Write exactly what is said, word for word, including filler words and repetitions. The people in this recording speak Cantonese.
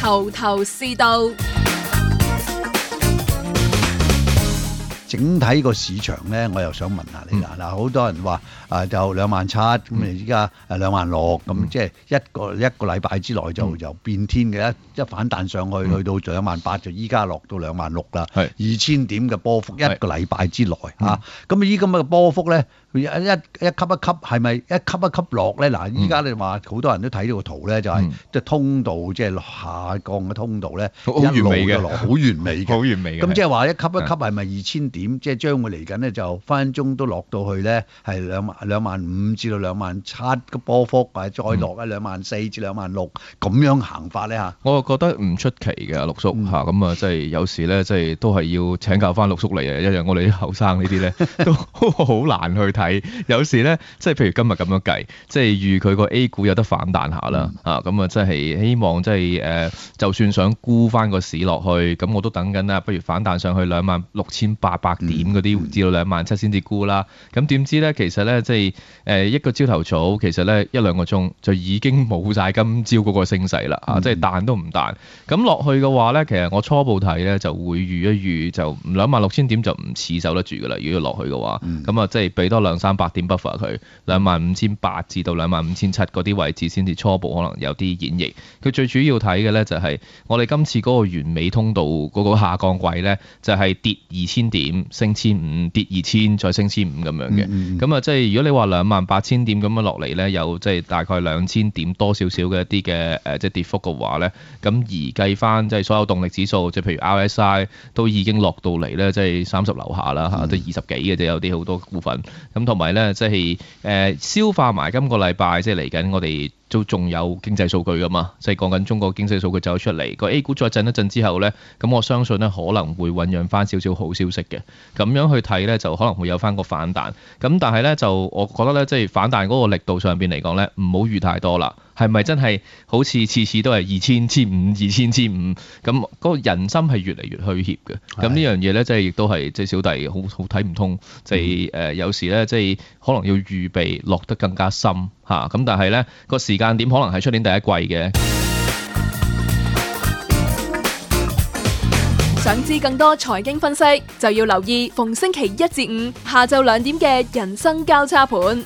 頭頭是道。整體個市場咧，我又想問下你啦。嗱、嗯，好多人話啊，就兩萬七咁，你依家誒兩萬六咁，即係一個一個禮拜之內就就變天嘅，一一反彈上去，嗯、去到兩萬八就依家落到兩萬六啦，二千點嘅波幅一個禮拜之內嚇。咁依咁嘅波幅咧，一一一級一級係咪一級一級落咧？嗱，依家你話好多人都睇到個圖咧，就係即係通道即係下降嘅通道咧，好完美嘅，好完美嘅，好完美嘅。咁即係話一級一級係咪二千點？即係將會嚟緊咧，就分分鐘都落到去咧，係兩萬兩萬五至到兩萬七嘅波幅，或者再落一兩萬四至兩萬六咁樣行法咧嚇。我覺得唔出奇嘅，陸叔嚇咁啊，即係有時咧，即係都係要請教翻陸叔嚟啊，一樣我哋啲後生呢啲咧都好難去睇。有時咧，即係譬如今日咁樣計，即係預佢個 A 股有得反彈下啦嚇，咁啊，即係希望即係誒，就算想沽翻個市落去，咁我都等緊啦，不如反彈上去兩萬六千八百點嗰啲，至到兩萬七先至沽啦。咁點知咧，其實咧即係誒一個朝頭早，其實咧一兩個鐘就已經冇晒今朝嗰個升勢啦嚇，即係彈都唔彈。咁落去嘅話咧，其實我初步睇咧就會預一預就兩萬六千點就唔似守得住噶啦。如果要落去嘅話，咁啊即係俾多兩三百點 buffer 佢，兩萬五千八至到兩萬五千七嗰啲位置先至初步可能有啲演繹。佢最主要睇嘅咧就係我哋今次嗰個完美通道嗰個下降軌咧，就係跌二千點升千五，跌二千再升千五咁樣嘅。咁啊、嗯嗯、即係如果你話兩萬八千點咁樣落嚟咧，有即係大概兩千點多少少嘅一啲嘅誒即係跌幅嘅話咧，咁而計翻即係所有動力指數，即係譬如 R S I 都已經落到嚟咧，即係三十樓下啦嚇，都二十幾嘅啫，有啲好多股份。咁同埋咧，即係誒消化埋今個禮拜，即係嚟緊我哋都仲有經濟數據噶嘛，即係講緊中國經濟數據走出嚟，個 A 股再震一震之後咧，咁我相信咧可能會醖釀翻少少好消息嘅，咁樣去睇咧就可能會有翻個反彈。咁但係咧就我覺得咧，即係反彈嗰個力度上邊嚟講咧，唔好預太多啦。係咪真係好似次次都係二千、千五、二千、千五咁？嗰個人心係越嚟越虛怯嘅。咁呢樣嘢咧，即係亦都係即係小弟好好睇唔通。即係誒有時咧，即係可能要預備落得更加深嚇。咁但係咧個時間點可能係出年第一季嘅。想知更多財經分析，就要留意逢星期一至五下晝兩點嘅人生交叉盤。